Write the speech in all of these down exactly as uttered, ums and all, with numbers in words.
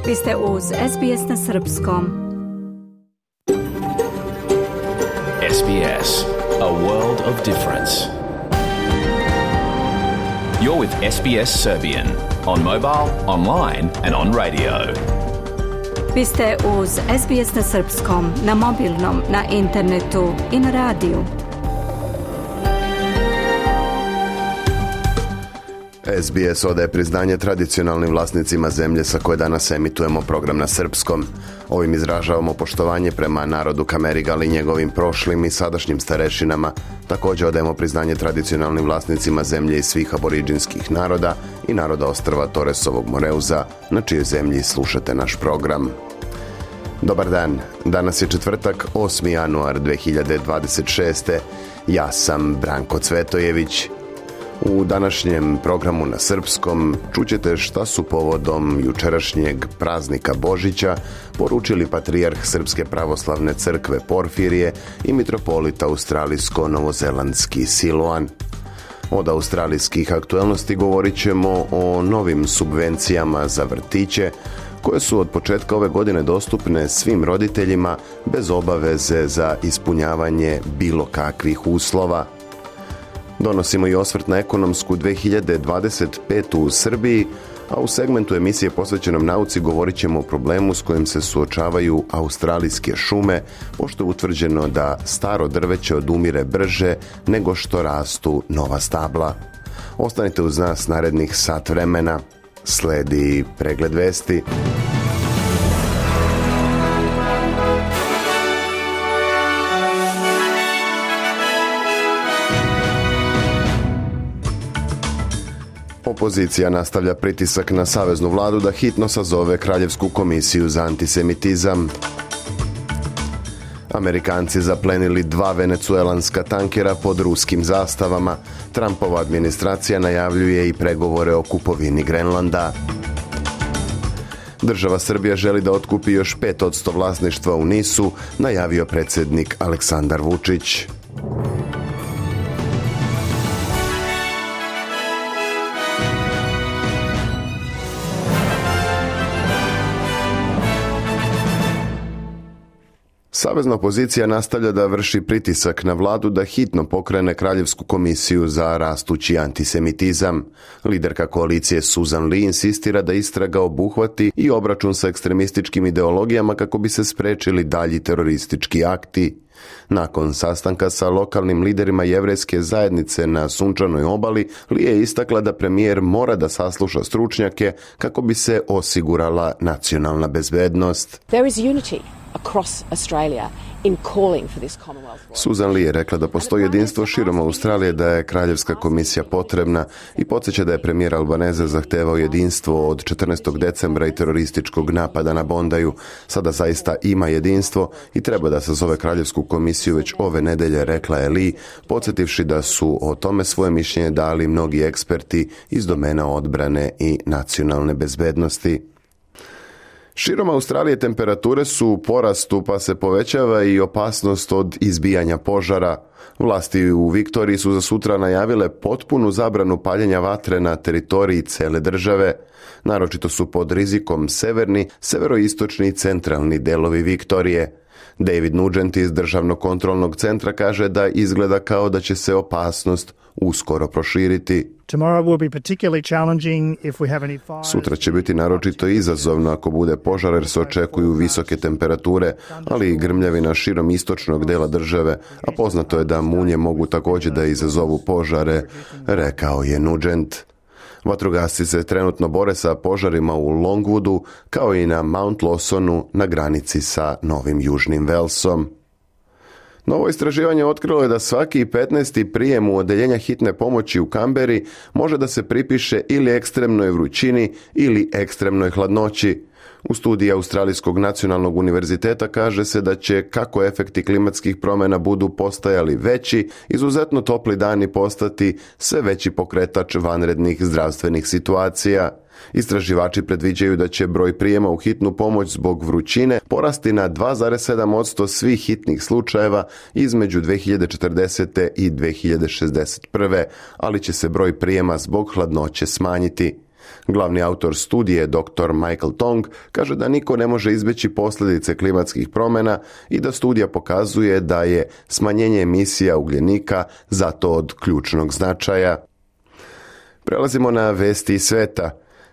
Vi ste uz S B S na srpskom. S B S, a world of difference. You're with S B S Serbian on mobile, online and on radio. Vi ste uz S B S na srpskom, na mobilnom, na internetu i na radiju. S B S odaje priznanje tradicionalnim vlasnicima zemlje sa koje danas emitujemo program na srpskom. Ovim izražavamo poštovanje prema narodu Kamerigal i njegovim prošlim i sadašnjim starešinama. Također odajemo priznanje tradicionalnim vlasnicima zemlje i svih aboriđinskih naroda i naroda ostrva Toresovog Moreuza, na čijoj zemlji slušate naš program. Dobar dan, danas je četvrtak, osmi januar dve hiljade dvadeset šeste. Ja sam Branko Cvetojević. U današnjem programu na srpskom čućete šta su povodom jučerašnjeg praznika Božića poručili patrijarh Srpske pravoslavne crkve Porfirije i mitropolita australijsko-novozelandski Siloan. Od australijskih aktualnosti govorit ćemo o novim subvencijama za vrtiće, koje su od početka ove godine dostupne svim roditeljima bez obaveze za ispunjavanje bilo kakvih uslova. Donosimo i osvrt na ekonomsku dve hiljade dvadeset petu u Srbiji, a u segmentu emisije posvećenom nauci govorit ćemo o problemu s kojim se suočavaju australijske šume, pošto je utvrđeno da staro drveće odumire brže nego što rastu nova stabla. Ostanite uz nas narednih sat vremena. Sledi pregled vesti. Opozicija nastavlja pritisak na saveznu vladu da hitno sazove Kraljevsku komisiju za antisemitizam. Amerikanci zaplenili dva venecuelanska tankera pod ruskim zastavama. Trumpova administracija najavljuje i pregovore o kupovini Grenlanda. Država Srbija želi da otkupi još pet posto vlasništva u Nisu, najavio predsjednik Aleksandar Vučić. Savezna opozicija nastavlja da vrši pritisak na vladu da hitno pokrene Kraljevsku komisiju za rastući antisemitizam. Liderka koalicije Susan Lee insistira da istraga obuhvati i obračun sa ekstremističkim ideologijama kako bi se sprečili dalji teroristički akti. Nakon sastanka sa lokalnim liderima jevrejske zajednice na Sunčanoj obali, Lee je istakla da premijer mora da sasluša stručnjake kako bi se osigurala nacionalna bezbednost. There is unity across Australia in calling for this Commonwealth. Susan Lee je rekla da postoji jedinstvo širom Australije, da je Kraljevska komisija potrebna i podsjeća da je premijer Albanese zahtevao jedinstvo od četrnaestog decembra i terorističkog napada na Bondaju. Sada zaista ima jedinstvo i treba da sazove Kraljevsku komisiju već ove nedelje, rekla je Lee, podsjetivši da su o tome svoje mišljenje dali mnogi eksperti iz domena odbrane i nacionalne bezbednosti. Širom Australije temperature su u porastu, pa se povećava i opasnost od izbijanja požara. Vlasti u Viktoriji su za sutra najavile potpunu zabranu paljenja vatre na teritoriji cele države. Naročito su pod rizikom severni, severoistočni i centralni delovi Viktorije. David Nugent iz Državnog kontrolnog centra kaže da izgleda kao da će se opasnost uskoro proširiti. Sutra će biti naročito izazovno ako bude požar jer se očekuju visoke temperature, ali i grmljavina širom istočnog dela države, a poznato je da munje mogu također da izazovu požare, rekao je Nugent. Vatrogasci se trenutno bore sa požarima u Longwoodu kao i na Mount Lawsonu na granici sa Novim Južnim Walesom. Novo istraživanje otkrilo je da svaki petnaesti prijem u odeljenja hitne pomoći u Kamberi može da se pripiše ili ekstremnoj vrućini ili ekstremnoj hladnoći. U studiji Australijskog nacionalnog univerziteta kaže se da će, kako efekti klimatskih promjena budu postajali veći, izuzetno topli dani postati sve veći pokretač vanrednih zdravstvenih situacija. Istraživači predviđaju da će broj prijema u hitnu pomoć zbog vrućine porasti na dva zarez sedam posto svih hitnih slučajeva između dve hiljade četrdesete i dve hiljade šezdeset prve, ali će se broj prijema zbog hladnoće smanjiti. Glavni autor studije, doktor Michael Tong, kaže da niko ne može izbjeći posljedice klimatskih promjena i da studija pokazuje da je smanjenje emisija ugljenika zato od ključnog značaja. Prelazimo na vesti iz sveta.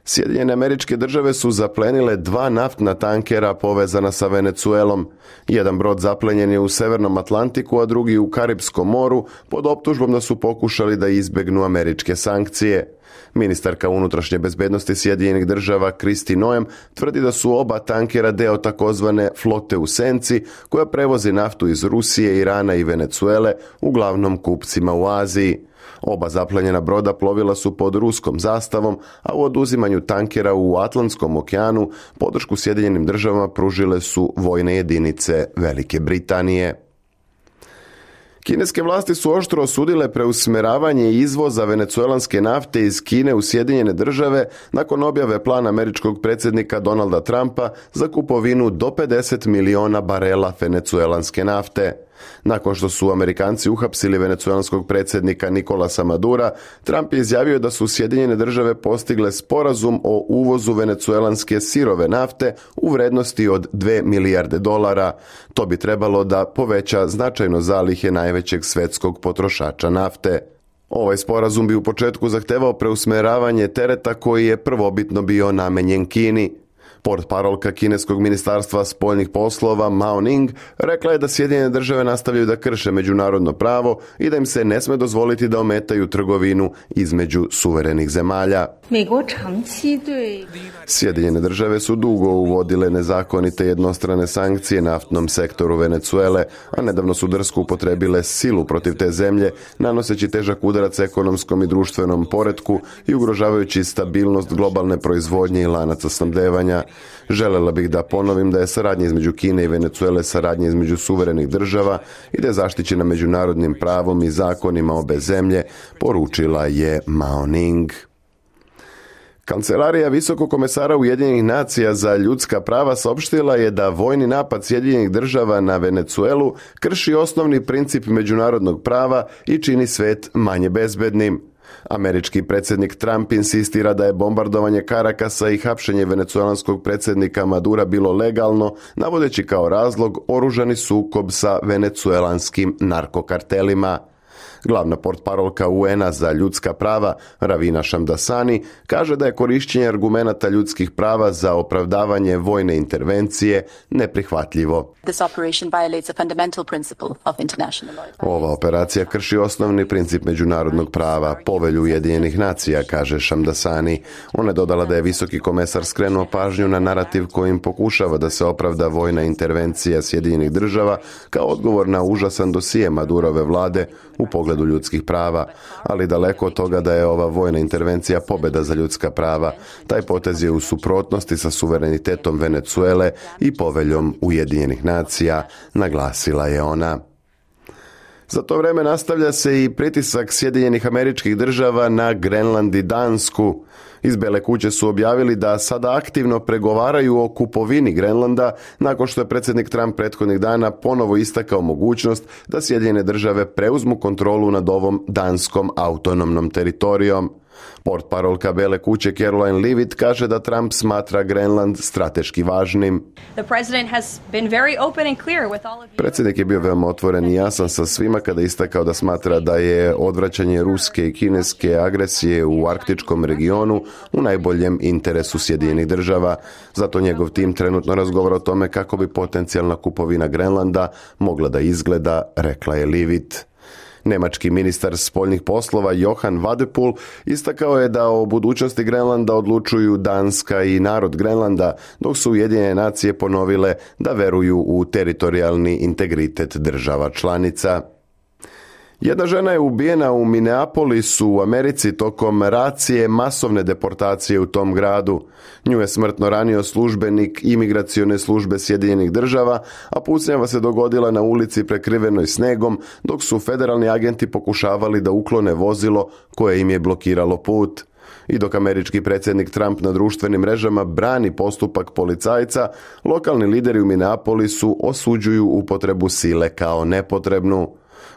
Sjedinjene Američke Države su zaplenile dva naftna tankera povezana sa Venecuelom. Jedan brod zaplenjen je u Severnom Atlantiku, a drugi u Karipskom moru pod optužbom da su pokušali da izbjegnu američke sankcije. Ministarka unutrašnje bezbednosti Sjedinjenih Država Kristi Noem tvrdi da su oba tankera deo takozvane flote u senci koja prevozi naftu iz Rusije, Irana i Venecuele, uglavnom kupcima u Aziji. Oba zaplenjena broda plovila su pod ruskom zastavom, a u oduzimanju tankera u Atlantskom okeanu podršku Sjedinjenim Državama pružile su vojne jedinice Velike Britanije. Kineske vlasti su oštro osudile preusmjeravanje izvoza venecuelanske nafte iz Kine u Sjedinjene Države nakon objave plana američkog predsjednika Donalda Trumpa za kupovinu do pedeset miliona barela venecuelanske nafte. Nakon što su Amerikanci uhapsili venecuelanskog predsjednika Nicolasa Madura, Trump je izjavio da su Sjedinjene Države postigle sporazum o uvozu venecuelanske sirove nafte u vrednosti od dvije milijarde dolara. To bi trebalo da poveća značajno zalihe najvećeg svetskog potrošača nafte. Ovaj sporazum bi u početku zahtevao preusmjeravanje tereta koji je prvobitno bio namenjen Kini. Portparolka kineskog ministarstva spoljnih poslova Mao Ning rekla je da Sjedinjene Države nastavljaju da krše međunarodno pravo i da im se ne sme dozvoliti da ometaju trgovinu između suverenih zemalja. Sjedinjene Države su dugo uvodile nezakonite jednostrane sankcije naftnom sektoru Venecuele, a nedavno su drsko upotrebile silu protiv te zemlje, nanoseći težak udarac ekonomskom i društvenom poretku i ugrožavajući stabilnost globalne proizvodnje i lanaca snabdevanja. Želela bih da ponovim da je saradnja između Kine i Venecuele saradnja između suverenih država i da je zaštićena međunarodnim pravom i zakonima obe zemlje, poručila je Mao Ning. Kancelarija Visokog komesara Ujedinjenih nacija za ljudska prava saopštila je da vojni napad Sjedinjenih Država na Venecuelu krši osnovni princip međunarodnog prava i čini svet manje bezbednim. Američki predsjednik Trump insistira da je bombardovanje Karakasa i hapšenje venecuelanskog predsjednika Madura bilo legalno, navodeći kao razlog oružani sukob sa venecuelanskim narkokartelima. Glavna portparolka U N-a za ljudska prava, Ravina Shamdasani, kaže da je korišćenje argumenata ljudskih prava za opravdavanje vojne intervencije neprihvatljivo. Ova operacija krši osnovni princip međunarodnog prava, povelju Ujedinjenih nacija, kaže Shamdasani. Ona je dodala da je visoki komesar skrenuo pažnju na narativ kojim pokušava da se opravda vojna intervencija Sjedinjenih Država kao odgovor na užasan dosije Madurove vlade u pogledu ljudskih prava, ali daleko od toga da je ova vojna intervencija pobjeda za ljudska prava. Taj potez je u suprotnosti sa suverenitetom Venecuele i poveljom Ujedinjenih nacija, naglasila je ona. Za to vrijeme nastavlja se i pritisak Sjedinjenih Američkih Država na Grenland i Dansku. Iz Bele kuće su objavili da sada aktivno pregovaraju o kupovini Grenlanda nakon što je predsjednik Trump prethodnih dana ponovo istakao mogućnost da Sjedinjene Države preuzmu kontrolu nad ovom danskom autonomnom teritorijom. Portparolka Bele kuće Caroline Leavitt kaže da Trump smatra Grenland strateški važnim. Predsjednik je bio veoma otvoren i jasan sa svima kada je istakao da smatra da je odvraćanje ruske i kineske agresije u arktičkom regionu u najboljem interesu Sjedinjenih Država. Zato njegov tim trenutno razgovara o tome kako bi potencijalna kupovina Grenlanda mogla da izgleda, rekla je Leavitt. Nemački ministar spoljnih poslova Johan Wadephul istakao je da o budućnosti Grenlanda odlučuju Danska i narod Grenlanda, dok su Ujedinjene nacije ponovile da veruju u teritorijalni integritet država članica. Jedna žena je ubijena u Minneapolisu u Americi tokom racije masovne deportacije u tom gradu. Nju je smrtno ranio službenik imigracione službe Sjedinjenih Država, a pucnjava se dogodila na ulici prekrivenoj snegom, dok su federalni agenti pokušavali da uklone vozilo koje im je blokiralo put. I dok američki predsjednik Trump na društvenim mrežama brani postupak policajca, lokalni lideri u Minneapolisu osuđuju upotrebu sile kao nepotrebnu.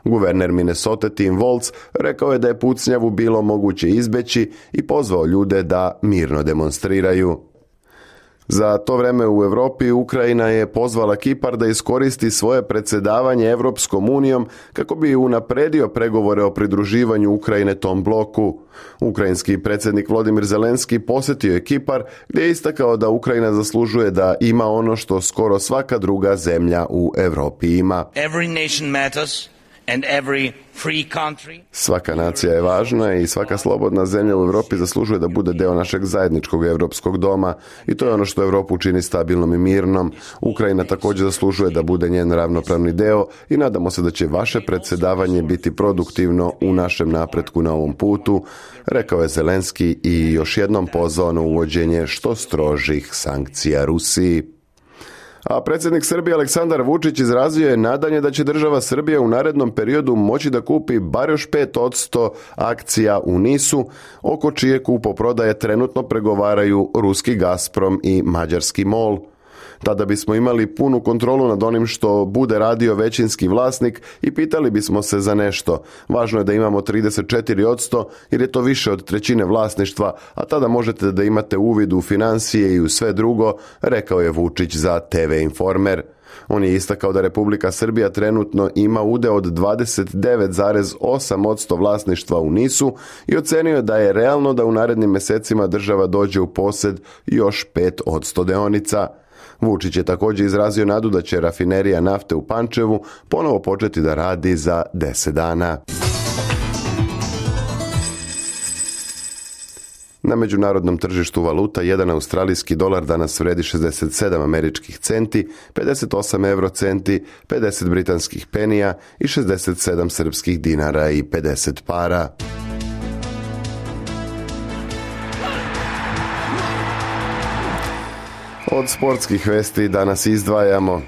Guverner Minnesota Tim Walz rekao je da je pucnjavu bilo moguće izbeći i pozvao ljude da mirno demonstriraju. Za to vreme u Europi Ukrajina je pozvala Kipar da iskoristi svoje predsjedavanje Europskom unijom kako bi unapredio pregovore o pridruživanju Ukrajine tom bloku. Ukrajinski predsjednik Volodymyr Zelenski posjetio je Kipar gdje je istakao da Ukrajina zaslužuje da ima ono što skoro svaka druga zemlja u Europi ima. Every nation matters. And every free country. Svaka nacija je važna i svaka slobodna zemlja u Europi zaslužuje da bude deo našeg zajedničkog europskog doma i to je ono što Europu čini stabilnom i mirnom. Ukrajina također zaslužuje da bude njen ravnopravni deo i nadamo se da će vaše predsjedavanje biti produktivno u našem napretku na ovom putu, rekao je Zelenski i još jednom pozvao na uvođenje što strožih sankcija Rusiji. A predsjednik Srbije Aleksandar Vučić izrazio je nadanje da će država Srbija u narednom periodu moći da kupi bar još pet posto akcija u Nisu, oko čije kupoprodaje trenutno pregovaraju ruski Gazprom i mađarski MOL. Tada bismo imali punu kontrolu nad onim što bude radio većinski vlasnik i pitali bismo se za nešto. Važno je da imamo trideset četiri posto jer je to više od trećine vlasništva, a tada možete da imate uvid u financije i u sve drugo, rekao je Vučić za te ve Informer. On je istakao da Republika Srbija trenutno ima udeo od dvadeset devet zarez osam posto vlasništva u Nisu i ocenio da je realno da u narednim mjesecima država dođe u posjed još pet posto deonica. Vučić je također izrazio nadu da će rafinerija nafte u Pančevu ponovo početi da radi za deset dana. Na međunarodnom tržištu valuta jedan australijski dolar danas vredi šezdeset sedam američkih centi, pedeset osam eurocenti, pedeset britanskih penija i šezdeset sedam srpskih dinara i pedeset para. Od sportskih vesti danas izdvajamo.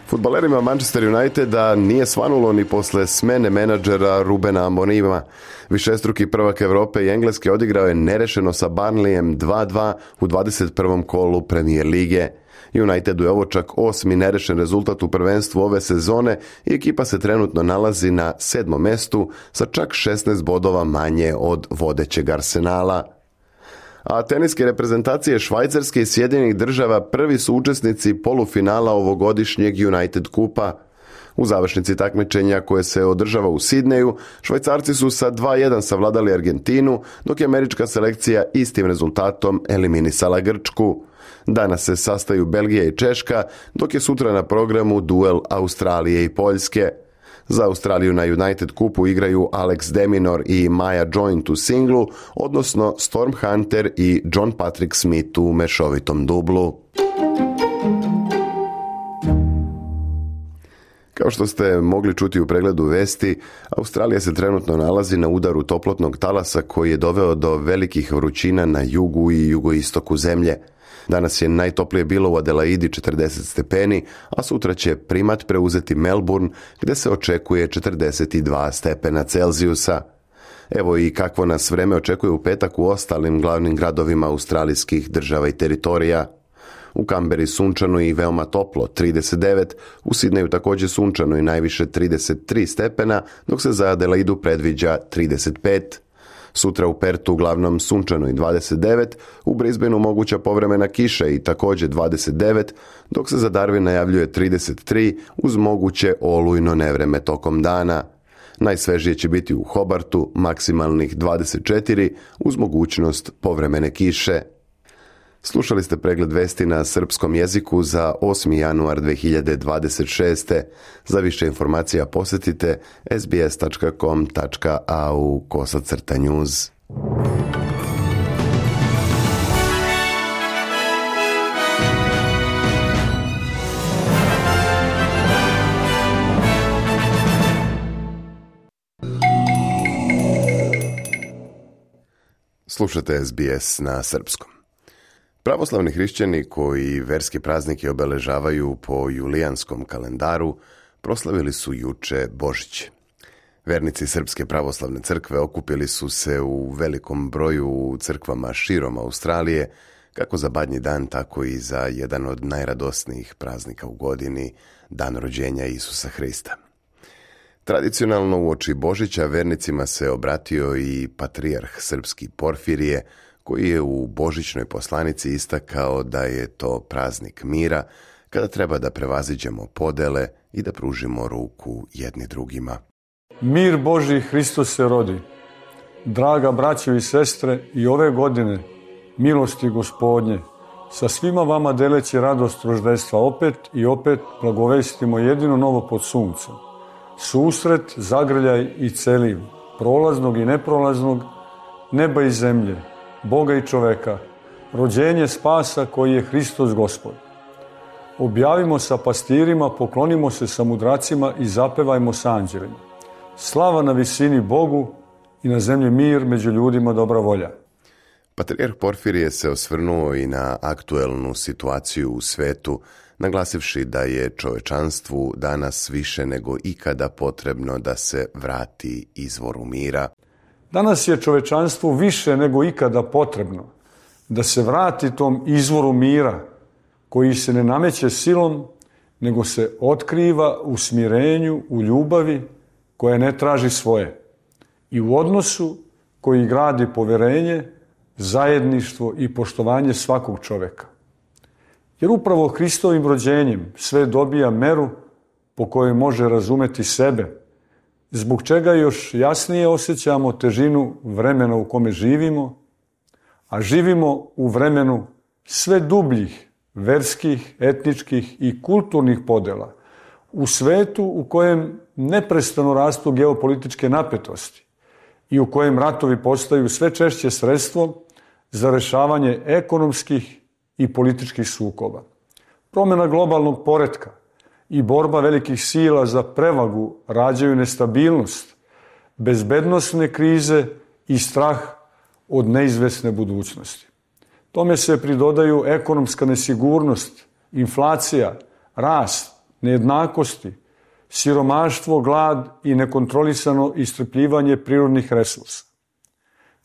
Fudbalerima Manchester Uniteda nije svanulo ni posle smene menadžera Rubena Amonima. Višestruki prvak Europe i Engleske odigrao je nerešeno sa Burnleyem dva dva u dvadeset prvom kolu Premier lige. Unitedu je ovo čak osmi nerešen rezultat u prvenstvu ove sezone i ekipa se trenutno nalazi na sedmom mestu sa čak šesnaest bodova manje od vodećeg Arsenala. A teniske reprezentacije Švajcarske i Sjedinjenih Država prvi su učesnici polufinala ovogodišnjeg United Kupa. U završnici takmičenja koje se održava u Sidneju, Švajcarci su sa dva jedan savladali Argentinu, dok je američka selekcija istim rezultatom eliminisala Grčku. Danas se sastaju Belgija i Češka, dok je sutra na programu duel Australije i Poljske. Za Australiju na United Kupu igraju Alex de Minaur i Maja Joint u singlu, odnosno Storm Hunter i John Patrick Smith u mešovitom dublu. Kao što ste mogli čuti u pregledu vesti, Australija se trenutno nalazi na udaru toplotnog talasa koji je doveo do velikih vrućina na jugu i jugoistoku zemlje. Danas je najtoplije bilo u Adelaidi četrdeset stepeni, a sutra će primat preuzeti Melbourne gdje se očekuje četrdeset dva stepena Celzijusa. Evo i kakvo nas vreme očekuje u petak u ostalim glavnim gradovima australijskih država i teritorija. U Kamberi sunčano i veoma toplo, trideset devet, u Sidneju također sunčano i najviše trideset tri stepena, dok se za Adelaidu predviđa trideset pet. Sutra u Pertu uglavnom sunčano i dvadeset devet, u Brisbaneu moguća povremena kiša i također dvadeset devet, dok se za Darwin najavljuje trideset tri uz moguće olujno nevreme tokom dana. Najsvežije će biti u Hobartu, maksimalnih dvadeset četiri uz mogućnost povremene kiše. Slušali ste pregled vesti na srpskom jeziku za osmi januar dve hiljade dvadeset šeste. Za više informacija posjetite es be es tačka com tačka a u kosacrta news. Slušate es be es na srpskom. Pravoslavni hrišćani koji verske praznike obeležavaju po julijanskom kalendaru proslavili su juče Božić. Vernici Srpske pravoslavne crkve okupili su se u velikom broju u crkvama širom Australije, kako za Badnji dan, tako i za jedan od najradosnijih praznika u godini, dan rođenja Isusa Hrista. Tradicionalno uoči Božića vernicima se obratio i patrijarh srpski Porfirije, koji je u božićnoj poslanici istakao da je to praznik mira, kada treba da prevaziđemo podele i da pružimo ruku jedni drugima. Mir Božji Hristos se rodi. Draga braćo i sestre, i ove godine milosti Gospodnje, sa svima vama deleći radost roždestva opet i opet blagovestimo jedino novo pod suncem. Susret, zagrljaj i celiv, prolaznog i neprolaznog, neba i zemlje, Boga i čoveka, rođenje spasa koji je Hristos Gospod. Objavimo sa pastirima, poklonimo se sa mudracima i zapevajmo sa anđelima. Slava na visini Bogu i na zemlji mir, među ljudima dobra volja. Patrijarh Porfirije se osvrnuo i na aktuelnu situaciju u svetu, naglasivši da je čovečanstvu danas više nego ikada potrebno da se vrati izvoru mira. Danas je čovečanstvu više nego ikada potrebno da se vrati tom izvoru mira koji se ne nameće silom, nego se otkriva u smirenju, u ljubavi koja ne traži svoje i u odnosu koji gradi poverenje, zajedništvo i poštovanje svakog čoveka. Jer upravo Hristovim rođenjem sve dobija meru po kojoj može razumeti sebe, zbog čega još jasnije osjećamo težinu vremena u kome živimo, a živimo u vremenu sve dubljih verskih, etničkih i kulturnih podela, u svetu u kojem neprestano rastu geopolitičke napetosti i u kojem ratovi postaju sve češće sredstvo za rešavanje ekonomskih i političkih sukoba. Promjena globalnog poretka i borba velikih sila za prevagu rađaju nestabilnost, bezbednosne krize i strah od neizvesne budućnosti. Tome se pridodaju ekonomska nesigurnost, inflacija, rast, nejednakosti, siromaštvo, glad i nekontrolisano iscrpljivanje prirodnih resursa.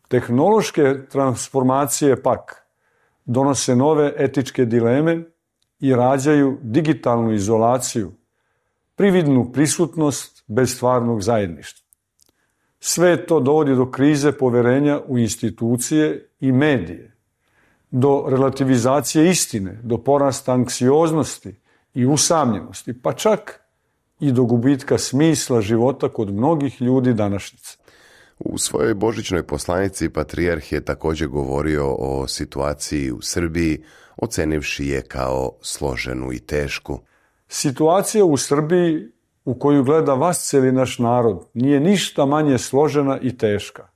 Tehnološke transformacije pak donose nove etičke dileme i rađaju digitalnu izolaciju, prividnu prisutnost bez stvarnog zajedništva. Sve to dovodi do krize poverenja u institucije i medije, do relativizacije istine, do porasta anksioznosti i usamljenosti, pa čak i do gubitka smisla života kod mnogih ljudi današnjice. U svojoj božićnoj poslanici patrijarh je također govorio o situaciji u Srbiji, ocenivši je kao složenu i tešku. Situacija u Srbiji u koju gleda vasceli naš narod nije ništa manje složena i teška.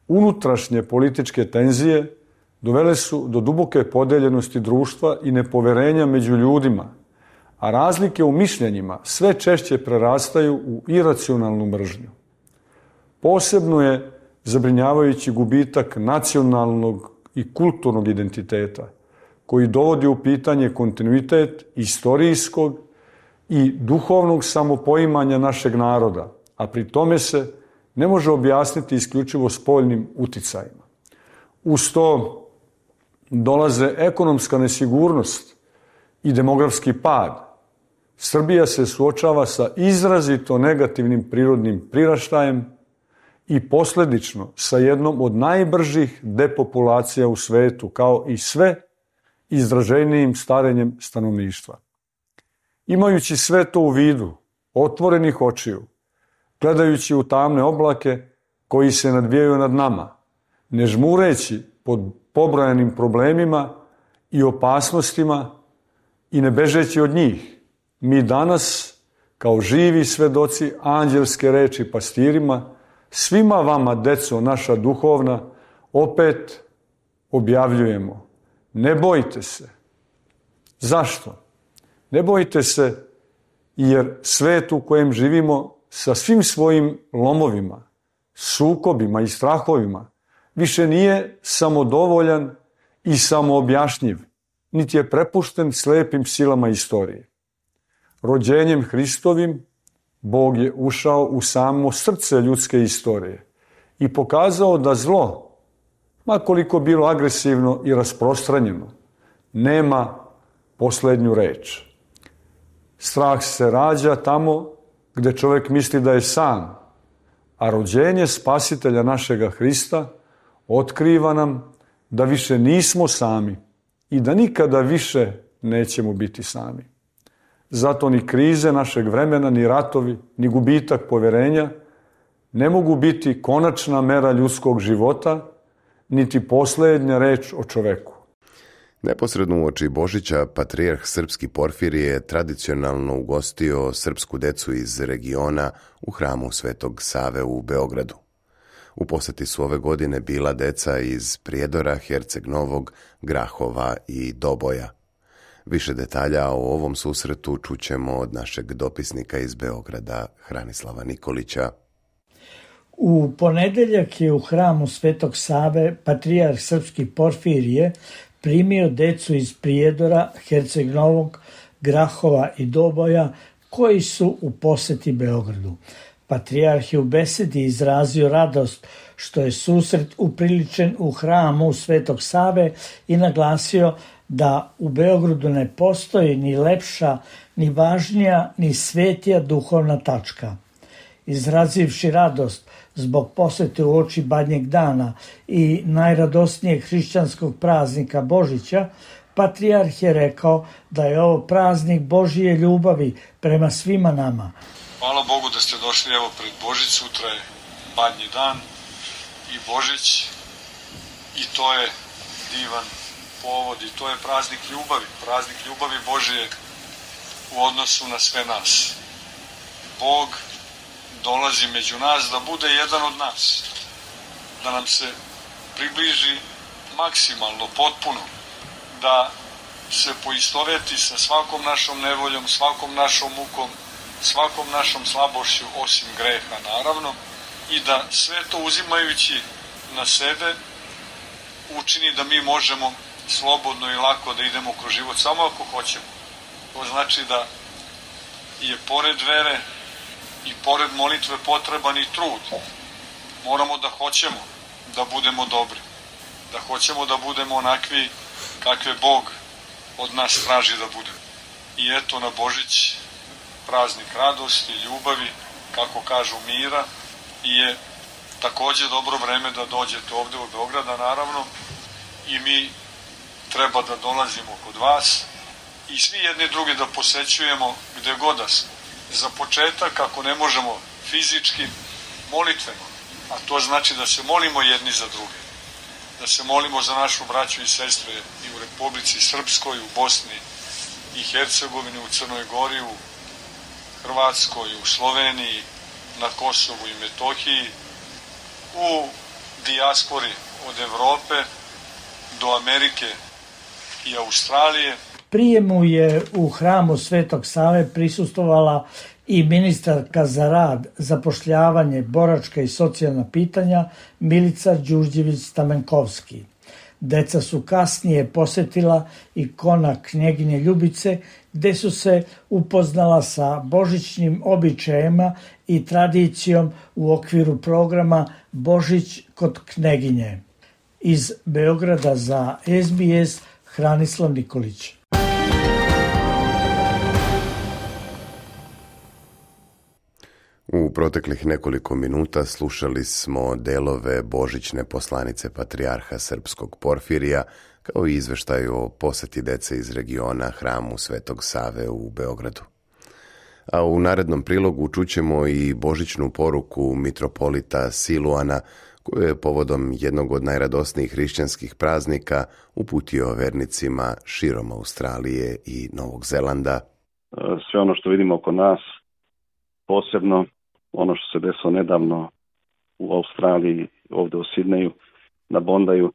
Unutrašnje političke tenzije dovele su do duboke podeljenosti društva i nepoverenja među ljudima, a razlike u mišljenjima sve češće prerastaju u iracionalnu mržnju. Posebno je zabrinjavajući gubitak nacionalnog i kulturnog identiteta, koji dovodi u pitanje kontinuitet istorijskog i duhovnog samopoimanja našeg naroda, a pri tome se ne može objasniti isključivo spoljnim uticajima. Uz to dolaze ekonomska nesigurnost i demografski pad. Srbija se suočava sa izrazito negativnim prirodnim priraštajem i posljedično sa jednom od najbržih depopulacija u svetu, kao i sve izraženijim starenjem stanovništva. Imajući sve to u vidu, otvorenih očiju, gledajući u tamne oblake koji se nadvijaju nad nama, ne žmureći pod pobrojanim problemima i opasnostima i ne bežeći od njih, mi danas, kao živi svedoci anđelske reči pastirima, svima vama, deco naša duhovna, opet objavljujemo: ne bojte se. Zašto? Ne bojte se jer svet u kojem živimo sa svim svojim lomovima, sukobima i strahovima više nije samodovoljan i samoobjašnjiv, niti je prepušten slepim silama istorije. Rođenjem Hristovim Bog je ušao u samo srce ljudske istorije i pokazao da zlo, ma koliko bilo agresivno i rasprostranjeno, nema poslednju reč. Strah se rađa tamo gde čovjek misli da je sam, a rođenje spasitelja našega Hrista otkriva nam da više nismo sami i da nikada više nećemo biti sami. Zato ni krize našeg vremena, ni ratovi, ni gubitak poverenja ne mogu biti konačna mera ljudskog života, niti posljednja reč o čoveku. Neposredno uoči Božića, patrijarh srpski Porfirije je tradicionalno ugostio srpsku decu iz regiona u hramu Svetog Save u Beogradu. U poseti su ove godine bila deca iz Prijedora, Herceg Novog, Grahova i Doboja. Više detalja o ovom susretu čućemo od našeg dopisnika iz Beograda, Hranislava Nikolića. U ponedeljak je u hramu Svetog Save patrijarh srpski Porfirije primio decu iz Prijedora, Herceg Novog, Grahova i Doboja koji su u poseti Beogradu. Patrijarh je u besedi izrazio radost što je susret upriličen u hramu Svetog Save i naglasio da u Beogradu ne postoji ni lepša, ni važnija, ni svetija duhovna tačka. Izrazivši radost zbog posete u oči Badnjeg dana i najradosnijeg hrišćanskog praznika Božića, patrijarh je rekao da je ovo praznik Božije ljubavi prema svima nama. Hvala Bogu da ste došli evo pred Božić, sutra je Badnji dan i Božić i to je divan povod i to je praznik ljubavi, praznik ljubavi Božije u odnosu na sve nas. Bog dolazi među nas da bude jedan od nas, da nam se približi maksimalno, potpuno, da se poistoveti sa svakom našom nevoljom, svakom našom mukom, svakom našom slabošću, osim greha naravno, i da sve to uzimajući na sebe učini da mi možemo slobodno i lako da idemo kroz život, samo ako hoćemo. To znači da je pored vere i pored molitve potreban i trud. Moramo da hoćemo da budemo dobri, da hoćemo da budemo onakvi kakve Bog od nas traži da budemo. I eto na Božić, praznik radosti, ljubavi, kako kažu mira, i je također dobro vreme da dođete ovde u Beograda naravno i mi treba da dolazimo kod vas i svi jedni drugi da posećujemo gde god da smo. Za početak, ako ne možemo fizički, molitveno, a to znači da se molimo jedni za druge, da se molimo za našu braću i sestre i u Republici Srpskoj, u Bosni i Hercegovini, u Crnoj Gori, u Hrvatskoj, u Sloveniji, na Kosovu i Metohiji, u dijaspori od Evrope do Amerike i Australije. Prijemu je u hramu Svetog Save prisustvovala i ministarka za rad, zapošljavanje, boračka i socijalna pitanja Milica Đurđević-Stamenkovski. Deca su kasnije posetila ikona Knjeginje Ljubice, gde su se upoznala sa božićnim običajima i tradicijom u okviru programa Božić kod Knjeginje. Iz Beograda za S B S Hranislav Nikolić. U proteklih nekoliko minuta slušali smo delove božićne poslanice patrijarha srpskog Porfirija, kao i izveštaj o poseti dece iz regiona hramu Svetog Save u Beogradu. A u narednom prilogu čućemo i božićnu poruku mitropolita Siluana, koju je povodom jednog od najradosnijih hrišćanskih praznika uputio vernicima širom Australije i Novog Zelanda. Sve ono što vidimo oko nas, posebno ono što se desilo nedavno u Australiji, ovdje u Sidneju, na Bondaju,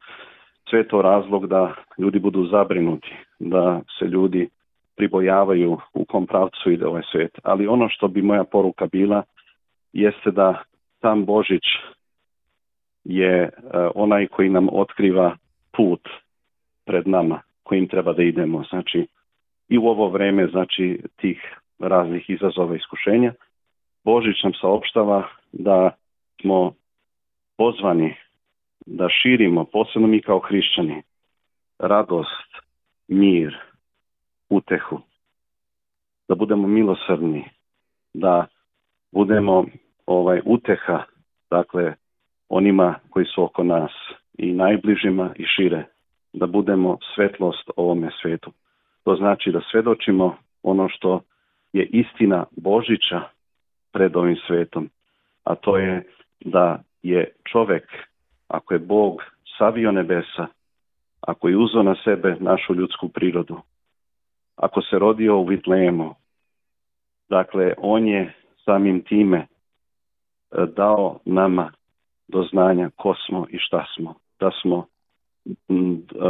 sve je to razlog da ljudi budu zabrinuti, da se ljudi pribojavaju u kom pravcu ide ovaj svijet. Ali ono što bi moja poruka bila jeste da sam Božić je onaj koji nam otkriva put pred nama, kojim treba da idemo. Znači, i u ovo vreme, znači, tih raznih izazova i iskušenja, Božić nam saopštava da smo pozvani da širimo, posebno mi kao hrišćani, radost, mir, utehu, da budemo milosrdni, da budemo ovaj uteha, dakle, onima koji su oko nas i najbližima i šire, da budemo svetlost ovome svetu. To znači da svedočimo ono što je istina Božića pred ovim svetom, a to je da je čovek, ako je Bog savio nebesa, ako je uzeo na sebe našu ljudsku prirodu, ako se rodio u Vitlejemu, dakle, on je samim time dao nama do znanja ko smo i šta smo, da smo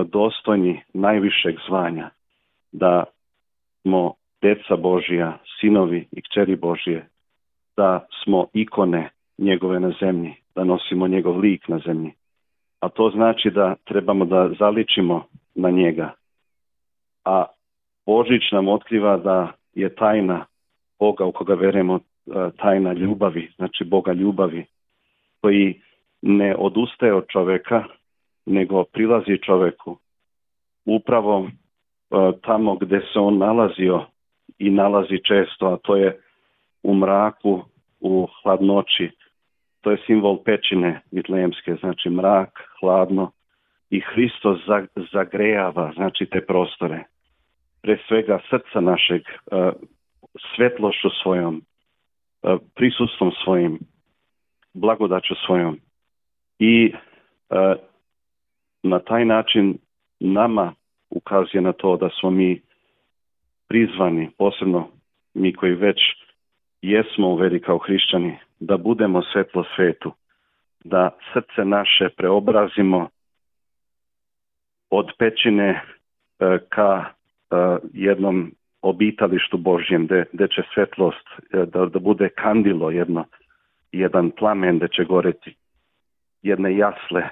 dostojni najvišeg zvanja, da smo deca Božija, sinovi i kćeri Božije, da smo ikone njegove na zemlji, da nosimo njegov lik na zemlji. A to znači da trebamo da zaličimo na njega. A Božić nam otkriva da je tajna Boga u koga verujemo, tajna ljubavi, znači Boga ljubavi, koji ne odustaje od čoveka, nego prilazi čoveku upravo uh, tamo gde se on nalazio i nalazi često, a to je u mraku, u hladnoći. To je simbol pećine vitlejemske, znači mrak, hladno, i Hristos zagrejava, znači, te prostore. Pre svega srca našeg, uh, svetlošću svojom, uh, prisustvom svojim, blagodaću svojom. I uh, na taj način nama ukazuje na to da smo mi prizvani, posebno mi koji već jesmo u veri kao hrišćani, da budemo svetlo svetu, da srce naše preobrazimo od pećine uh, ka uh, jednom obitalištu Božjem, gde, gde će svetlost uh, da, da bude kandilo, jedno, jedan plamen gde će goreti, jedne jasle,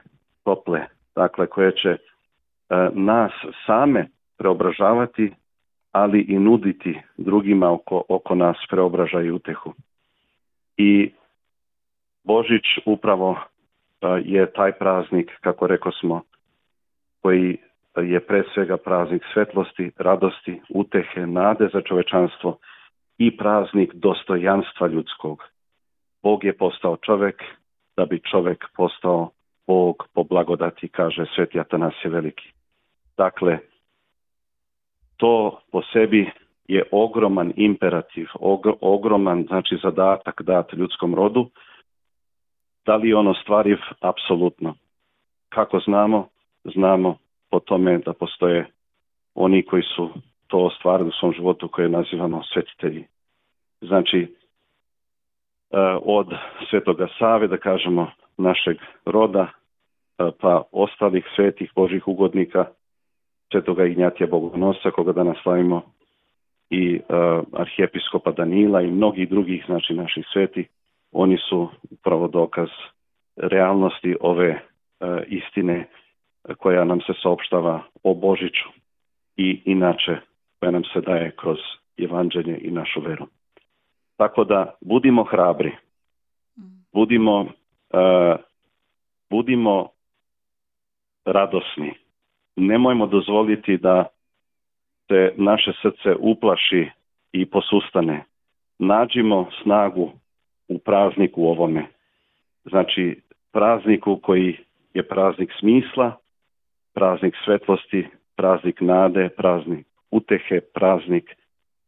tople, dakle, koje će uh, nas same preobražavati, ali i nuditi drugima oko, oko nas preobražaj i utehu. I Božić upravo uh, je taj praznik, kako rekao smo, koji je pre svega praznik svetlosti, radosti, utehe, nade za čovečanstvo i praznik dostojanstva ljudskog. Bog je postao čovek da bi čovek postao Bog po blagodati, kaže Sveti Atanasije Veliki. Dakle, to po sebi je ogroman imperativ, ogr- ogroman, znači, zadatak dat ljudskom rodu. Da li je on ostvariv? Apsolutno. Kako znamo? Znamo po tome da postoje oni koji su to ostvarili u svom životu, koje nazivamo svetitelji. Znači, od Svetoga Save, da kažemo, našeg roda, pa ostalih svetih Božih ugodnika, Svetoga Ignjatija Bogonosca, koga danas slavimo, i uh, arhijepiskopa Danila i mnogih drugih, znači, naših svetih, oni su upravo dokaz realnosti ove uh, istine koja nam se saopštava o Božiću i inače koja nam se daje kroz evanđelje i našu veru. Tako da budimo hrabri, budimo, uh, budimo radosni. Nemojmo dozvoliti da se naše srce uplaši i posustane. Nađimo snagu u prazniku ovome. Znači, prazniku koji je praznik smisla, praznik svetlosti, praznik nade, praznik utehe, praznik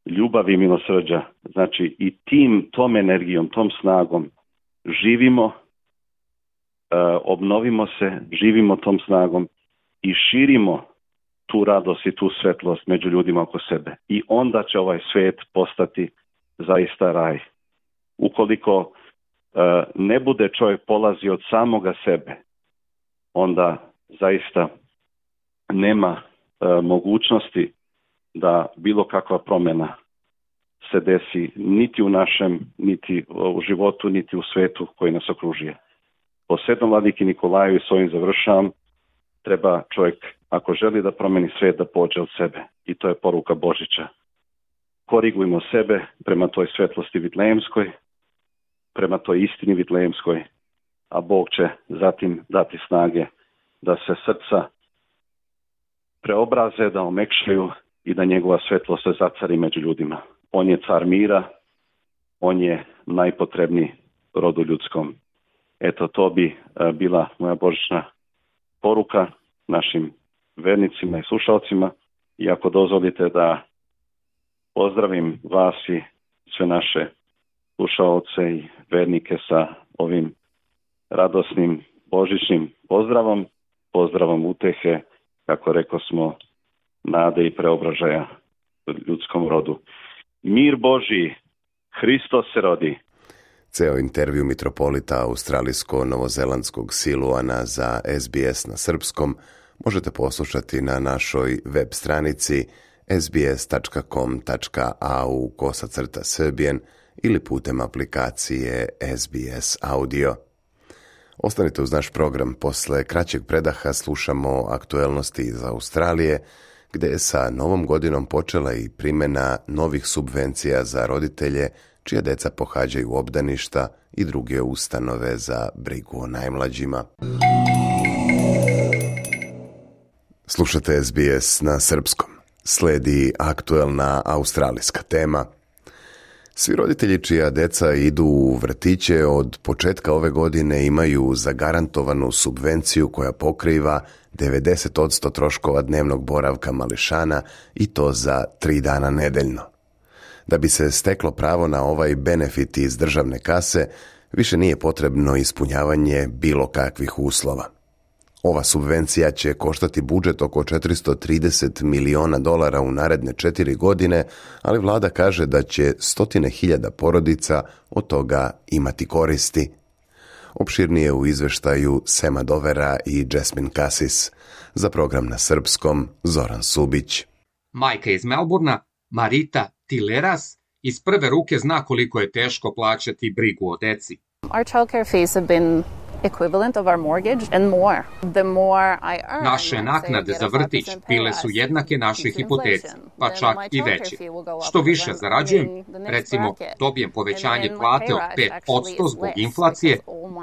ljubavi i milosrđa. Znači, i tim, tom energijom, tom snagom živimo, uh, obnovimo se, živimo tom snagom i širimo tu radost i tu svetlost među ljudima oko sebe. I onda će ovaj svet postati zaista raj. Ukoliko uh, ne bude čovjek polazi od samoga sebe, onda zaista nema uh, mogućnosti da bilo kakva promjena se desi niti u našem, niti u životu, niti u svetu koji nas okružuje. Po Svetom vladiki Nikolaju, i s ovim završavam, treba čovjek, ako želi da promeni svijet, da pođe od sebe. I to je poruka Božića. Korigujmo sebe prema toj svetlosti vitlejemskoj, prema toj istini vitlejemskoj, a Bog će zatim dati snage da se srca preobraze, da omekšaju i da njegova svetlost se zacari među ljudima. On je car mira, on je najpotrebniji rodu ljudskom. Eto, to bi bila moja božićna poruka našim vernicima i slušalcima. I ako dozvolite da pozdravim vas i sve naše slušalce i vernike sa ovim radosnim božićnim pozdravom, pozdravom utehe, kako rekao smo, nade i preobražaja ljudskom rodu. Mir Božji, Hristos se rodi. Ceo intervju mitropolita australijsko-novozelandskog Siluana za S B S na srpskom možete poslušati na našoj web stranici s b s tačka com tačka a u kosacrta srbijen ili putem aplikacije S B S Audio. Ostanite uz naš program. Posle kraćeg predaha slušamo aktuelnosti iz Australije, gde je sa novom godinom počela i primjena novih subvencija za roditelje čija deca pohađaju obdaništa i druge ustanove za brigu o najmlađima. Slušate S B S na srpskom. Sledi aktuelna australijska tema. Svi roditelji čija deca idu u vrtiće od početka ove godine imaju zagarantovanu subvenciju koja pokriva devedeset posto troškova dnevnog boravka mališana i to za tri dana nedeljno. Da bi se steklo pravo na ovaj benefit iz državne kase, više nije potrebno ispunjavanje bilo kakvih uslova. Ova subvencija će koštati budžet oko četiristo trideset miliona dolara u naredne četiri godine, ali vlada kaže da će stotine hiljada porodica od toga imati koristi. Opširnije u izveštaju Sema Dovera i Jasmine Cassis. Za program na srpskom Zoran Subić. Majka iz Melburna, Marita Tileras, iz prve ruke zna koliko je teško plaćati brigu o deci. Our childcare fees have been equivalent of our mortgage and more. The more I earn, naše naknade za vrtić bile su jednake našoj hipoteci, pa čak i veće. Što više zarađujem, recimo dobijem povećanje plate od pet posto zbog inflacije,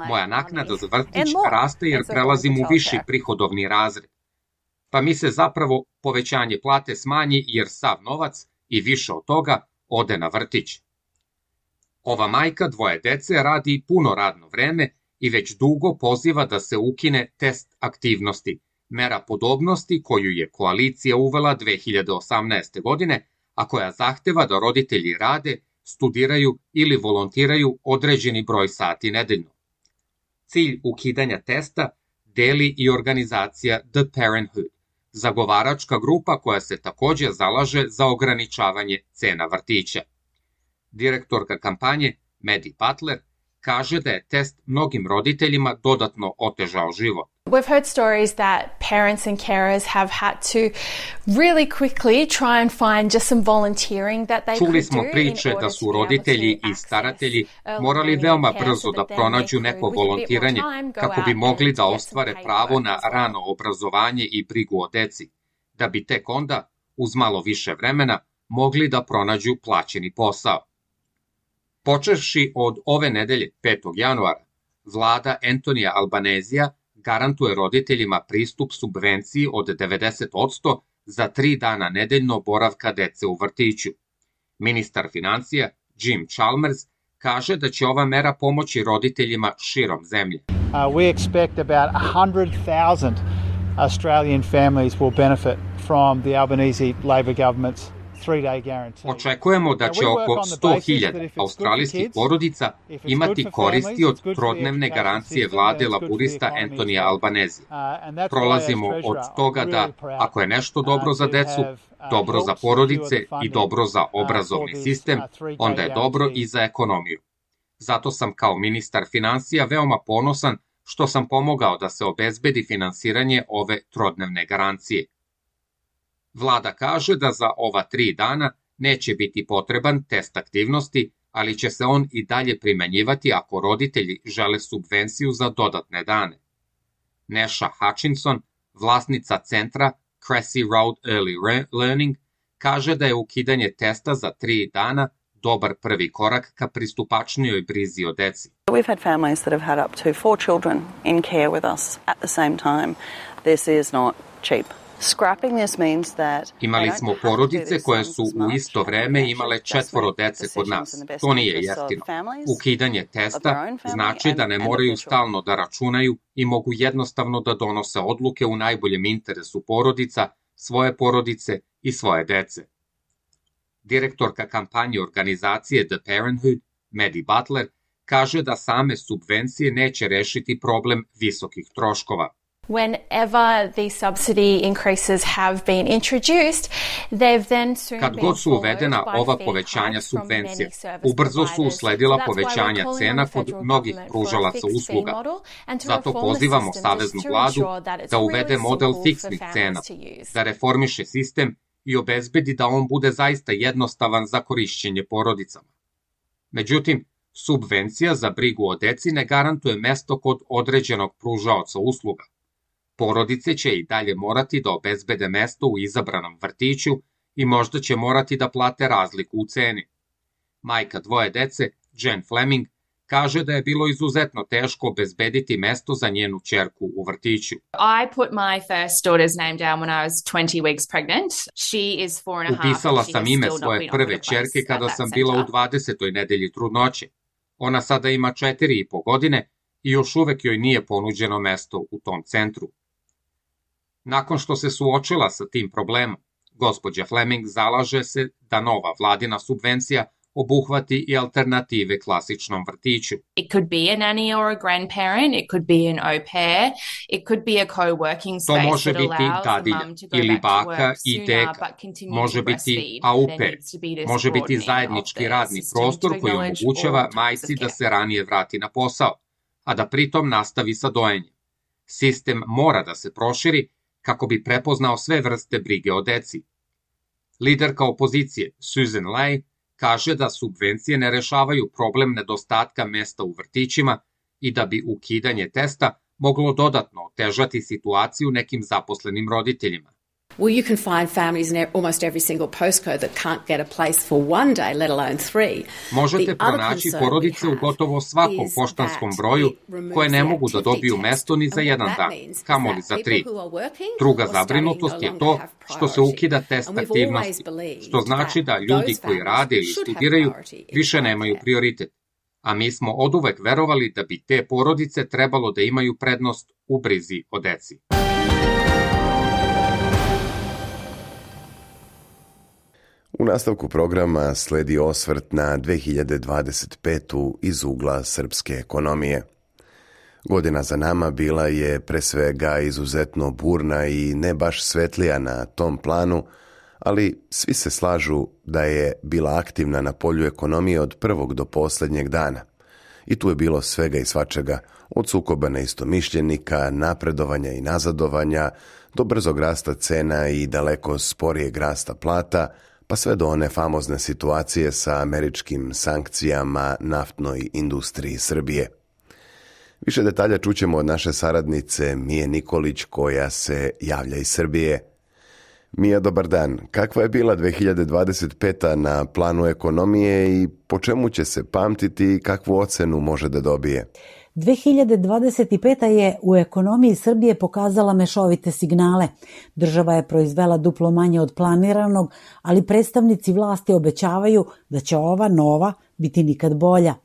moja naknada za vrtić raste jer prelazim u viši prihodovni razred. Pa mi se zapravo povećanje plate smanji jer sav novac i više od toga ode na vrtić. Ova majka dvoje dece radi puno radno vreme i već dugo poziva da se ukine test aktivnosti, mera podobnosti koju je koalicija uvela dve hiljade osamnaeste. godine, a koja zahteva da roditelji rade, studiraju ili volontiraju određeni broj sati nedeljno. Cilj ukidanja testa deli i organizacija The Parenthood, zagovaračka grupa koja se također zalaže za ograničavanje cena vrtića. Direktorka kampanje, Maddie Butler, kaže da je test mnogim roditeljima dodatno otežao život. We've heard stories that parents and carers have had to really quickly try and find just some volunteering that they Čuli could smo do priče in da order su to be able roditelji to i staratelji access morali early veoma learning care brzo so da that then pronađu they neko could, with a bit more volontiranje time, go kako bi out mogli and da get some ostvare paid pravo work na as well. rano obrazovanje i brigu o deci, da bi tek onda, uz malo više vremena, mogli da pronađu plaćeni posao. Počevši od ove nedelje, petog januara, vlada Antonija Albanezija garantuje roditeljima pristup subvenciji od devedeset posto za tri dana nedeljno boravka dece u vrtiću. Ministar financija Jim Chalmers kaže da će ova mera pomoći roditeljima širom zemlje. Uh, we expect about one hundred thousand Australian families will benefit from the Albanese Labor government's three-day guarantee. Očekujemo da će oko sto hiljada australijskih porodica imati koristi od trodnevne garancije vlade laburista Antonija Albanezija. Prolazimo od toga da, ako je nešto dobro za decu, dobro za porodice i dobro za obrazovni sistem, onda je dobro i za ekonomiju. Zato sam kao ministar financija veoma ponosan što sam pomogao da se obezbedi finansiranje ove trodnevne garancije. Vlada kaže da za ova tri dana neće biti potreban test aktivnosti, ali će se on i dalje primenjivati ako roditelji žele subvenciju za dodatne dane. Neša Hutchinson, vlasnica centra Cressy Road Early Learning, kaže da je ukidanje testa za tri dana dobar prvi korak ka pristupačnijoj brizi o deci. We've had families that have had up to four children in care with us at the same time. This is not cheap. Imali smo porodice koje su u isto vreme imale četvoro dece kod nas. To nije jeftino. Ukidanje testa znači da ne moraju stalno da računaju i mogu jednostavno da donose odluke u najboljem interesu porodica, svoje porodice i svoje dece. Direktorka kampanje organizacije The Parenthood, Maddie Butler, kaže da same subvencije neće rešiti problem visokih troškova. Whenever these subsidy increases have been introduced, they've then soon Kad god su uvedena ova povećanja subvencija, ubrzo su usledila povećanja cena kod mnogih pružalaca usluga. Zato pozivamo saveznu vladu da uvede model fiksnih cena, da reformiše sistem i obezbedi da on bude zaista jednostavan za korišćenje porodicama. Međutim, subvencija za brigu o deci ne garantuje mesto kod određenog pružaoca usluga. Porodice će i dalje morati da obezbede mesto u izabranom vrtiću i možda će morati da plate razliku u ceni. Majka dvoje dece, Jen Fleming, kaže da je bilo izuzetno teško obezbediti mesto za njenu ćerku u vrtiću. Upisala sam ime svoje prve ćerke kada sam bila u dvadesetoj nedelji trudnoće. Ona sada ima četiri i po godine i još uvek joj nije ponuđeno mesto u tom centru. Nakon što se suočila sa tim problemom, gospođa Fleming zalaže se da nova vladina subvencija obuhvati i alternative klasičnom vrtiću. It could be a nanny or a grandparent, it could be an au pair, it could be a co-working space. To može biti dadilja ili baka i deka, može biti au pair, može biti zajednički radni prostor koji omogućava majci da se ranije vrati na posao, a da pritom nastavi sa dojenjem. Sistem mora da se proširi kako bi prepoznao sve vrste brige o deci. Liderka opozicije, Susan Lay, kaže da subvencije ne rešavaju problem nedostatka mesta u vrtićima i da bi ukidanje testa moglo dodatno otežati situaciju nekim zaposlenim roditeljima. Well, you can find families in almost every single postcode that can't get a place for one day, let alone three. Možete pronaći porodice u gotovo svakom poštanskom broju koje ne mogu da dobiju mesto ni za jedan dan, kamoli za tri. Druga zabrinutost je to što se ukida test aktivnosti, što znači da ljudi koji rade ili studiraju više nemaju prioritet. A mi smo oduvek verovali da bi te porodice trebalo da imaju prednost u brizi o deci. U nastavku programa sledi osvrt na dve hiljade dvadeset petu iz ugla srpske ekonomije. Godina za nama bila je pre svega izuzetno burna i ne baš svetlija na tom planu, ali svi se slažu da je bila aktivna na polju ekonomije od prvog do posljednjeg dana. I tu je bilo svega i svačega, od sukoba neistomišljenika, napredovanja i nazadovanja, do brzog rasta cena i daleko sporijeg rasta plata, pa sve do one famozne situacije sa američkim sankcijama naftnoj industriji Srbije. Više detalja čućemo od naše saradnice Mije Nikolić koja se javlja iz Srbije. Mija, dobar dan. Kakva je bila dve hiljade dvadeset peta na planu ekonomije i po čemu će se pamtiti i kakvu ocenu može da dobije? dve hiljade dvadeset peta je u ekonomiji Srbije pokazala mešovite signale. Država je proizvela duplo manje od planiranog, ali predstavnici vlasti obećavaju da će ova nova biti nikad bolja.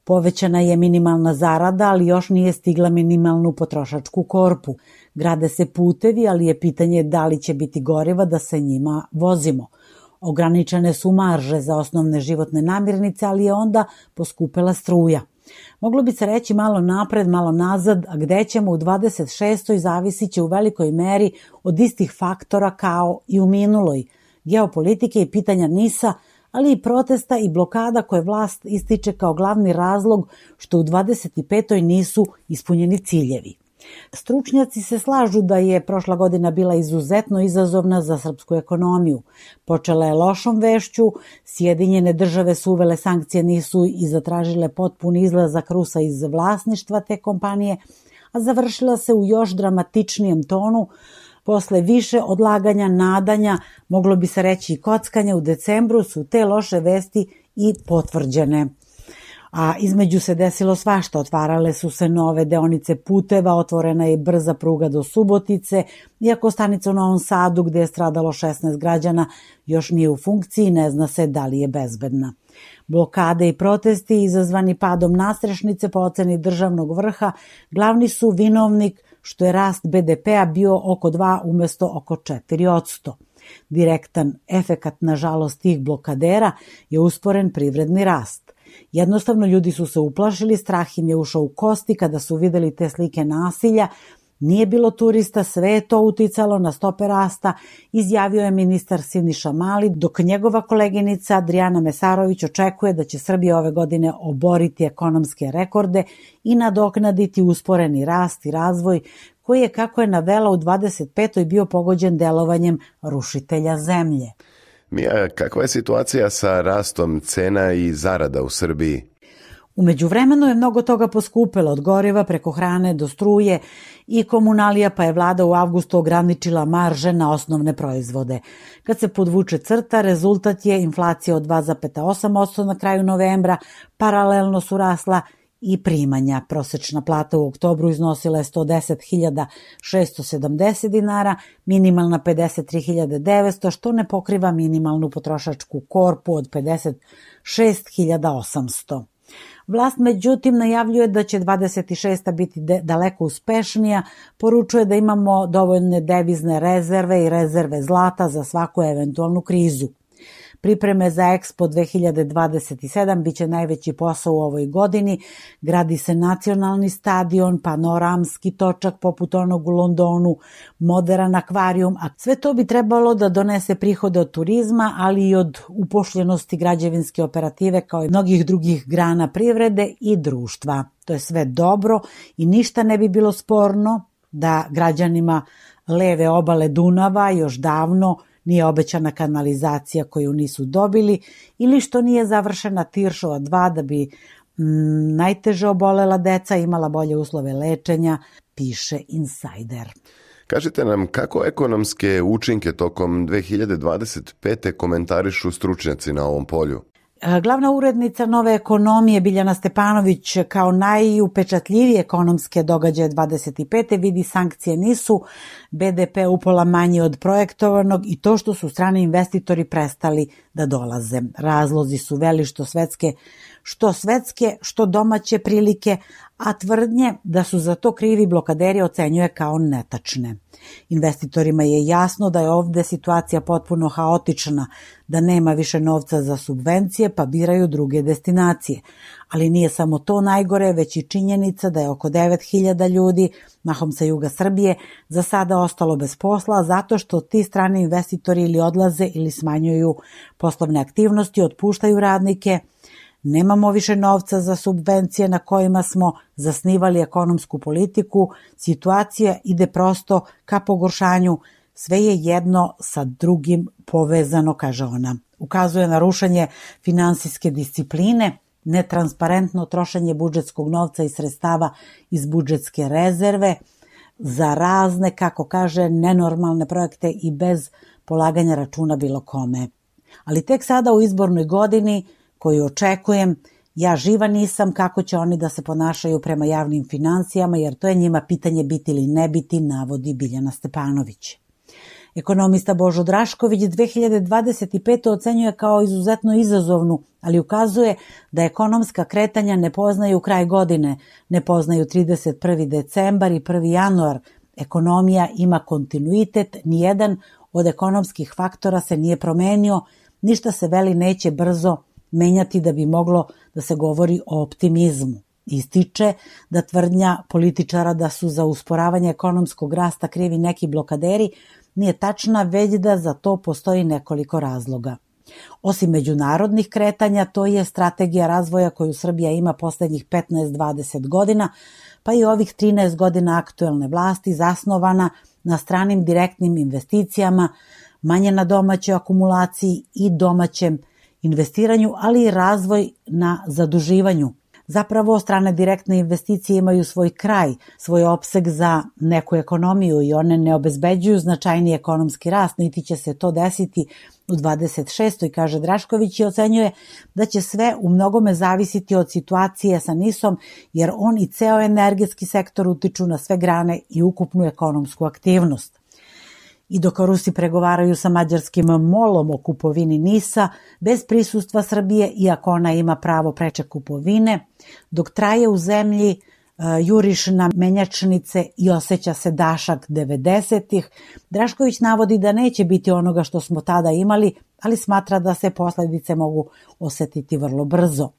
Povećana je minimalna zarada, ali još nije stigla minimalnu potrošačku korpu. Grade se putevi, ali je pitanje da li će biti goriva da se njima vozimo. Ograničene su marže za osnovne životne namirnice, ali je onda poskupela struja. Moglo bi se reći malo napred, malo nazad, a gde ćemo u dvadeset šestoj zavisit će u velikoj meri od istih faktora kao i u minuloj. Geopolitike i pitanja NIS-a, ali i protesta i blokada koje vlast ističe kao glavni razlog što u dvadeset petoj nisu ispunjeni ciljevi. Stručnjaci se slažu da je prošla godina bila izuzetno izazovna za srpsku ekonomiju. Počela je lošom vešću, Sjedinjene države su uvele sankcije nisu i zatražile potpuni izlazak Rusa iz vlasništva te kompanije, a završila se u još dramatičnijem tonu posle više odlaganja, nadanja, moglo bi se reći i kockanja u decembru su te loše vesti i potvrđene. A između se desilo svašta, otvarale su se nove deonice puteva, otvorena je brza pruga do Subotice, iako stanica u Novom Sadu, gde je stradalo šesnaest građana, još nije u funkciji, ne zna se da li je bezbedna. Blokade i protesti izazvani padom nastrešnice po oceni državnog vrha glavni su vinovnik što je rast be de pea bio oko dva umesto oko četiri posto. Direktan efekat, nažalost, tih blokadera je usporen privredni rast. Jednostavno ljudi su se uplašili, strah im je ušao u kosti kada su videli te slike nasilja. Nije bilo turista, sve je to uticalo na stope rasta, izjavio je ministar Siniša Mali, dok njegova koleginica Adrijana Mesarović očekuje da će Srbija ove godine oboriti ekonomske rekorde i nadoknaditi usporeni rast i razvoj koji je, kako je navela, u dvadeset petoj bio pogođen delovanjem rušitelja zemlje. Mija, kakva je situacija sa rastom cena i zarada u Srbiji? U međuvremenu je mnogo toga poskupelo, od goriva preko hrane do struje i komunalija, pa je vlada u avgustu ograničila marže na osnovne proizvode. Kad se podvuče crta, rezultat je inflacija od dva zarez osam posto na kraju novembra, paralelno su rasla i primanja. Prosečna plata u oktobru iznosila je sto deset hiljada šesto sedamdeset dinara, minimalna pedeset tri hiljade devetsto, što ne pokriva minimalnu potrošačku korpu od pedeset šest hiljada osamsto. Vlast međutim najavljuje da će dvadeset šesta biti de- daleko uspešnija, poručuje da imamo dovoljne devizne rezerve i rezerve zlata za svaku eventualnu krizu. Pripreme za Expo dve hiljade dvadeset sedam biće najveći posao u ovoj godini. Gradi se nacionalni stadion, panoramski točak poput onog u Londonu, moderan akvarijum, a sve to bi trebalo da donese prihode od turizma, ali i od upošljenosti građevinske operative kao i mnogih drugih grana privrede i društva. To je sve dobro i ništa ne bi bilo sporno da građanima leve obale Dunava još davno nije obećana kanalizacija koju nisu dobili ili što nije završena Tiršova dva da bi mm, najteže obolela deca imala bolje uslove lečenja, piše Insider. Kažite nam kako ekonomske učinke tokom dve hiljade dvadeset pete komentarišu stručnjaci na ovom polju? Glavna urednica Nove ekonomije Biljana Stepanović kao najupečatljivije ekonomske događaje dvadeset pete vidi sankcije nisu, be de pe upola manji od projektovanog i to što su strani investitori prestali da dolaze. Razlozi su veli što svetske, što svetske, što domaće prilike, a tvrdnje da su za to krivi blokaderi ocenjuje kao netačne. Investitorima je jasno da je ovde situacija potpuno haotična, da nema više novca za subvencije pa biraju druge destinacije. Ali nije samo to najgore, već i činjenica da je oko devet hiljada ljudi, mahom sa juga Srbije, za sada ostalo bez posla zato što ti strani investitori ili odlaze ili smanjuju poslovne aktivnosti, otpuštaju radnike. Nemamo više novca za subvencije na kojima smo zasnivali ekonomsku politiku, situacija ide prosto ka pogoršanju, sve je jedno sa drugim povezano, kaže ona. Ukazuje na rušenje finansijske discipline, netransparentno trošenje budžetskog novca i sredstava iz budžetske rezerve za razne, kako kaže, nenormalne projekte i bez polaganja računa bilo kome. Ali tek sada u izbornoj godini koju očekujem, ja živa nisam kako će oni da se ponašaju prema javnim finansijama, jer to je njima pitanje biti ili ne biti, navodi Biljana Stepanović. Ekonomista Božo Drašković dve hiljade dvadeset pete ocenjuje kao izuzetno izazovnu, ali ukazuje da ekonomska kretanja ne poznaju kraj godine, ne poznaju trideset prvi decembar i prvi januar. Ekonomija ima kontinuitet, nijedan od ekonomskih faktora se nije promenio, ništa se veli neće brzo menjati da bi moglo da se govori o optimizmu. Ističe da tvrdnja političara da su za usporavanje ekonomskog rasta krivi neki blokaderi nije tačna, već da za to postoji nekoliko razloga. Osim međunarodnih kretanja, to je strategija razvoja koju Srbija ima poslednjih petnaest do dvadeset godina, pa i ovih trinaest godina aktuelne vlasti zasnovana na stranim direktnim investicijama, manje na domaćoj akumulaciji i domaćem investiranju, ali i razvoj na zaduživanju. Zapravo, strane direktne investicije imaju svoj kraj, svoj opseg za neku ekonomiju i one ne obezbeđuju značajni ekonomski rast, niti će se to desiti u dvadeset šestoj, kaže Drašković, i ocenjuje da će sve u mnogome zavisiti od situacije sa NIS-om, jer on i ceo energetski sektor utiču na sve grane i ukupnu ekonomsku aktivnost. I dok Rusi pregovaraju sa mađarskim molom o kupovini NIS-a, bez prisustva Srbije, iako ona ima pravo preče kupovine, dok traje u zemlji juriš na menjačnice i osjeća se dašak devedesetih, Drašković navodi da neće biti onoga što smo tada imali, ali smatra da se posledice mogu osetiti vrlo brzo.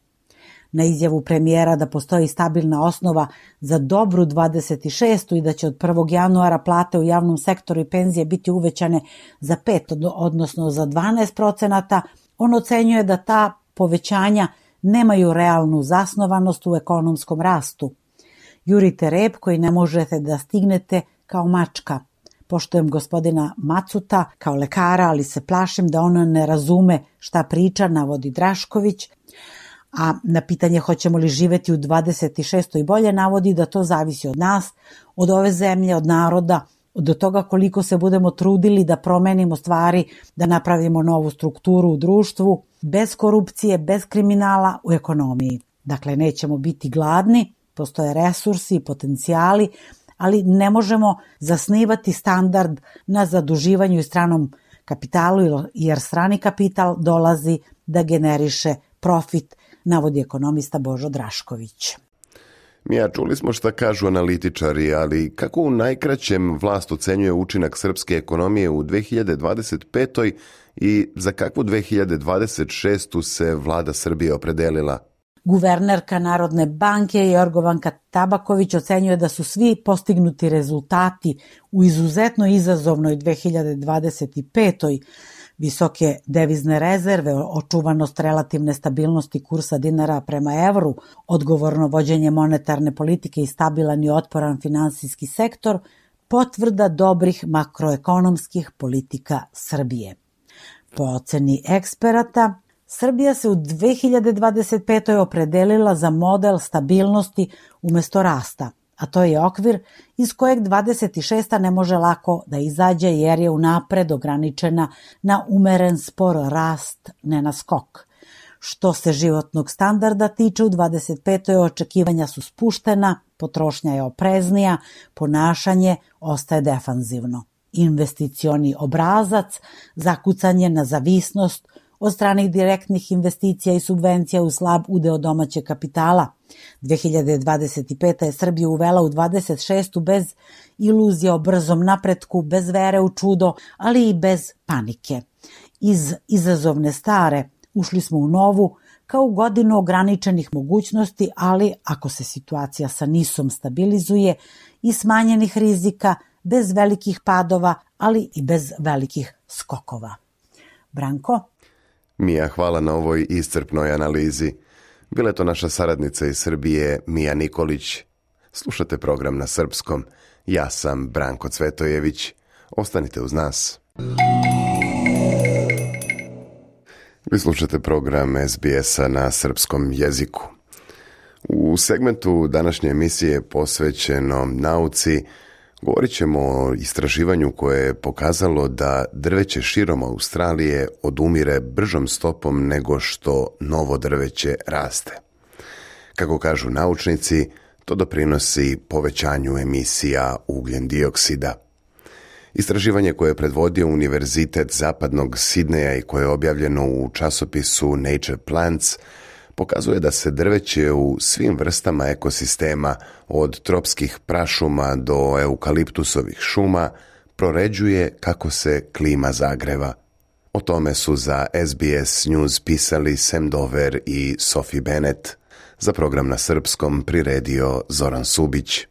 Na izjavu premijera da postoji stabilna osnova za dobru dvadeset šestu i da će od prvog januara plate u javnom sektoru i penzije biti uvećane za pet, odnosno za dvanaest procenata, on ocenjuje da ta povećanja nemaju realnu zasnovanost u ekonomskom rastu. Jurite rep koji ne možete da stignete kao mačka. Poštujem gospodina Macuta kao lekara, ali se plašim da on ne razume šta priča, navodi Drašković. A na pitanje hoćemo li živeti u dvadeset šestoj bolje navodi da to zavisi od nas, od ove zemlje, od naroda, od toga koliko se budemo trudili da promenimo stvari, da napravimo novu strukturu u društvu, bez korupcije, bez kriminala u ekonomiji. Dakle, nećemo biti gladni, postoje resursi i potencijali, ali ne možemo zasnivati standard na zaduživanju i stranom kapitalu, jer strani kapital dolazi da generiše profit, navodi ekonomista Božo Drašković. Mija, čuli smo šta kažu analitičari, ali kako u najkraćem vlast ocenjuje učinak srpske ekonomije u dve hiljade dvadeset petoj i za kakvu dve hiljade dvadeset šestu se vlada Srbije opredelila? Guvernerka Narodne banke Jorgovanka Tabaković ocenjuje da su svi postignuti rezultati u izuzetno izazovnoj dve hiljade dvadeset petoj visoke devizne rezerve, očuvanost relativne stabilnosti kursa dinara prema evru, odgovorno vođenje monetarne politike i stabilan i otporan finansijski sektor, potvrda dobrih makroekonomskih politika Srbije. Po oceni eksperata, Srbija se u dve hiljade dvadeset petoj opredelila za model stabilnosti umesto rasta, a to je okvir iz kojeg dvadeset šesta ne može lako da izađe jer je unapred ograničena na umeren spor rast, ne na skok. Što se životnog standarda tiče, u dvadeset petoj očekivanja su spuštena, potrošnja je opreznija, ponašanje ostaje defanzivno. Investicioni obrazac, zakucanje na zavisnost od stranih direktnih investicija i subvencija u slab udeo domaćeg kapitala. dve hiljade dvadeset peta. je Srbiju uvela u dvadeset šestu bez iluzija o brzom napretku, bez vere u čudo, ali i bez panike. Iz izazovne stare ušli smo u novu, kao u godinu ograničenih mogućnosti, ali ako se situacija sa NIS-om stabilizuje i smanjenih rizika, bez velikih padova, ali i bez velikih skokova. Branko? Mija, hvala na ovoj iscrpnoj analizi. Bila je to naša saradnica iz Srbije, Mija Nikolić. Slušate program na srpskom. Ja sam Branko Cvetojević. Ostanite uz nas. Vi slušate program es be es-a na srpskom jeziku. U segmentu današnje emisije posvećeno nauci govorit ćemo o istraživanju koje je pokazalo da drveće širom Australije odumire bržom stopom nego što novo drveće raste. Kako kažu naučnici, to doprinosi povećanju emisija ugljen dioksida. Istraživanje koje je predvodio Univerzitet zapadnog Sidneja i koje je objavljeno u časopisu Nature Plants pokazuje da se drveće u svim vrstama ekosistema, od tropskih prašuma do eukaliptusovih šuma, proređuje kako se klima zagreva. O tome su za es be es News pisali Sam Dover i Sophie Bennett. Za program na srpskom priredio Zoran Subić.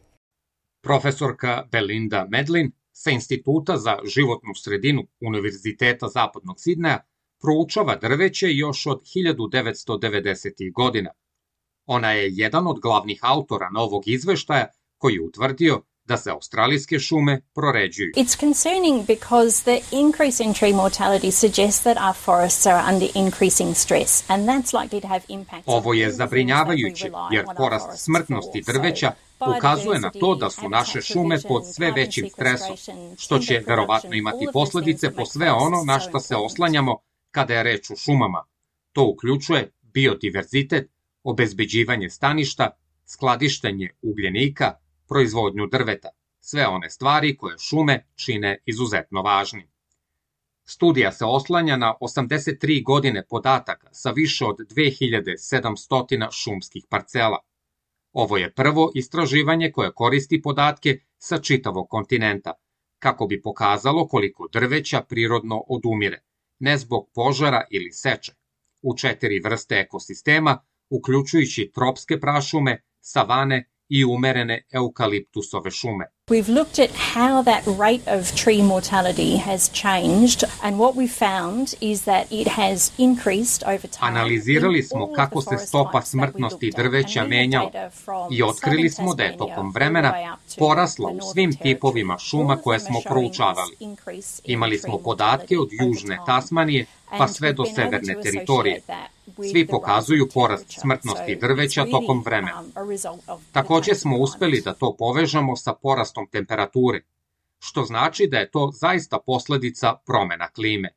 Profesorka Belinda Medlin sa Instituta za životnu sredinu Univerziteta zapadnog Sidneja proučava drveće još od hiljadu devetsto devedesetih. godina. Ona je jedan od glavnih autora novog izveštaja koji je utvrdio da se australijske šume proređuju. It's concerning because the increase in tree mortality suggests that our forests are under increasing stress and that's likely to have impacts. Ovo je zabrinjavajuće jer porast smrtnosti drveća ukazuje na to da su naše šume pod sve većim stresom, što će verovatno imati posledice po sve ono na što se oslanjamo kada je reč o šumama. To uključuje biodiverzitet, obezbeđivanje staništa, skladištenje ugljenika, proizvodnju drveta, sve one stvari koje šume čine izuzetno važnim. Studija se oslanja na osamdeset tri godine podataka sa više od dve hiljade sedamsto šumskih parcela. Ovo je prvo istraživanje koje koristi podatke sa čitavog kontinenta, kako bi pokazalo koliko drveća prirodno odumire, ne zbog požara ili seče, u četiri vrste ekosistema, uključujući tropske prašume, savane i umerene eukaliptusove šume. We've looked at how that rate of tree mortality has changed and what we found is that it has increased over time. Analizirali smo kako se stopa smrtnosti drveća menjala i otkrili smo da je tokom vremena porasla u svim tipovima šuma koje smo proučavali. Imali smo podatke od južne Tasmanije pa sve do severne teritorije. Svi pokazuju porast smrtnosti drveća tokom vremena. Također smo uspeli da to povežemo sa porastom temperature, što znači da je to zaista posledica promena klime.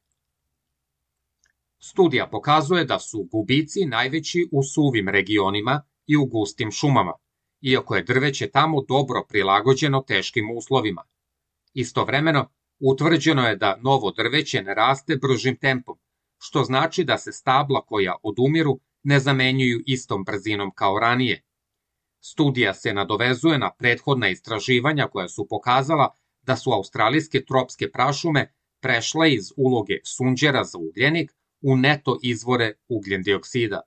Studija pokazuje da su gubici najveći u suvim regionima i u gustim šumama, iako je drveće tamo dobro prilagođeno teškim uslovima. Istovremeno, utvrđeno je da novo drveće ne raste bržim tempom, što znači da se stabla koja odumiru ne zamenjuju istom brzinom kao ranije. Studija se nadovezuje na prethodna istraživanja koja su pokazala da su australijske tropske prašume prešle iz uloge sunđera za ugljenik u neto izvore ugljendioksida.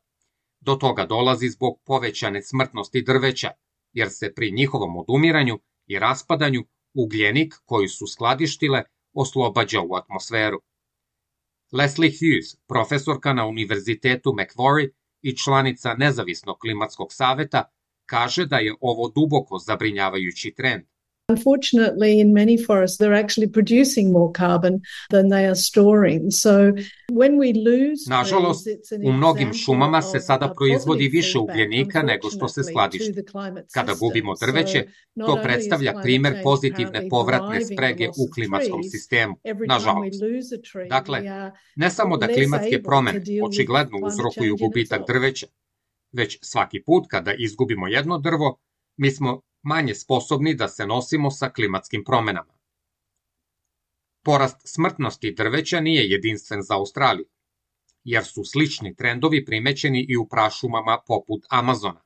Do toga dolazi zbog povećane smrtnosti drveća, jer se pri njihovom odumiranju i raspadanju ugljenik koji su skladištile oslobađa u atmosferu. Leslie Hughes, profesorka na Univerzitetu Macquarie i članica Nezavisnog klimatskog saveta, kaže da je ovo duboko zabrinjavajući trend. Unfortunately, in many forests, they're actually producing more carbon than they are storing. So when we lose Nažalost, u mnogim šumama se sada proizvodi više ugljenika nego što se skladišti. Kada gubimo drveće, to predstavlja primer pozitivne povratne sprege u klimatskom sistemu, nažalost. Dakle, ne samo da klimatske promene očigledno uzrokuju gubitak drveća, već svaki put kada izgubimo jedno drvo, mi smo manje sposobni da se nosimo sa klimatskim promenama. Porast smrtnosti drveća nije jedinstven za Australiju, jer su slični trendovi primećeni i u prašumama poput Amazona.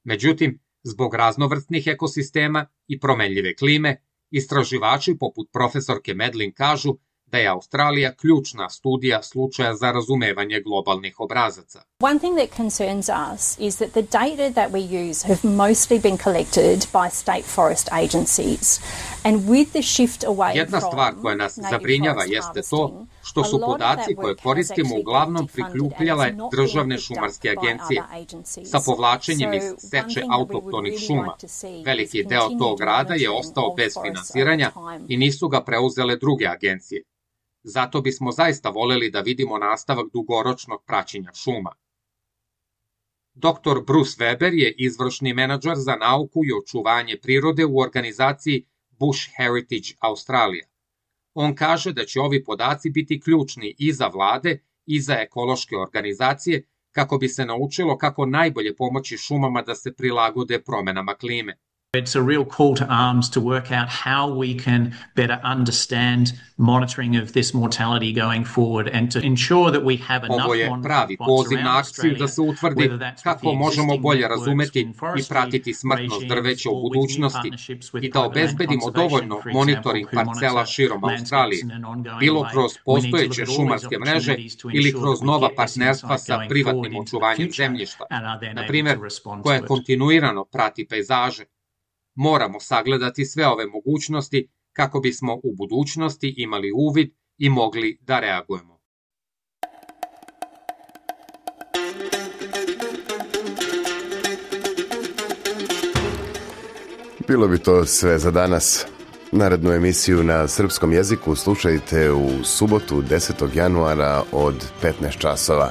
Međutim, zbog raznovrsnih ekosistema i promenljive klime, istraživači poput profesorke Medlin kažu da je Australija ključna studija slučaja za razumevanje globalnih obrazaca. One thing that concerns us is that the data that we use have mostly been collected by state forest agencies. And with the shift away Jedna stvar koja nas zabrinjava jeste to što su podaci koje koristimo uglavnom prikupljale državne šumarske agencije. Sa povlačenjem iz seče autohtonih šuma, veliki deo tog rada je ostao bez finansiranja i nisu ga preuzele druge agencije. Zato bismo zaista voleli da vidimo nastavak dugoročnog praćenja šuma. doktor Bruce Weber je izvršni menadžer za nauku i očuvanje prirode u organizaciji Bush Heritage Australia. On kaže da će ovi podaci biti ključni i za vlade i za ekološke organizacije kako bi se naučilo kako najbolje pomoći šumama da se prilagode promenama klime. It's a real call to arms to work out how we can better understand monitoring of this mortality going forward and to ensure that we have enough Ovo je pravi poziv na akciju da se utvrdi kako možemo bolje razumeti i pratiti smrtnost drveća u budućnosti i da obezbedimo dovoljno monitoring parcela širom Australije, bilo kroz postojeće šumarske mreže ili kroz nova partnerstva sa privatnim očuvanjem zemljišta, na primjer, koje kontinuirano prati pejzaže. Moramo sagledati sve ove mogućnosti kako bismo u budućnosti imali uvid i mogli da reagujemo. Bilo bi to sve za danas. Narednu emisiju na srpskom jeziku slušajte u subotu desetog januara od petnaest časova.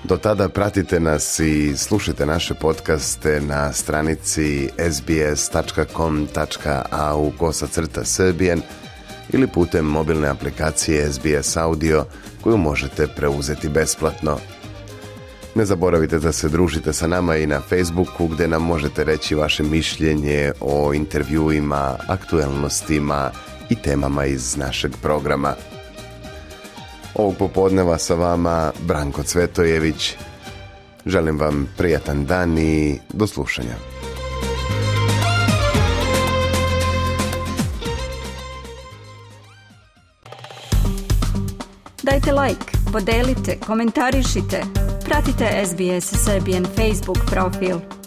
Do tada pratite nas i slušajte naše podcaste na stranici es bi es tačka com tačka a u kosacrta srbijen ili putem mobilne aplikacije es bi es Audio koju možete preuzeti besplatno. Ne zaboravite da se družite sa nama i na Facebooku gdje nam možete reći vaše mišljenje o intervjuima, aktuelnostima i temama iz našeg programa. Ovog popodneva sa vama Branko Cvetojević. Želim vam prijatan dan i do slušanja. Dajte like, podelite, komentarišite. Pratite es bi es Serbian Facebook profil.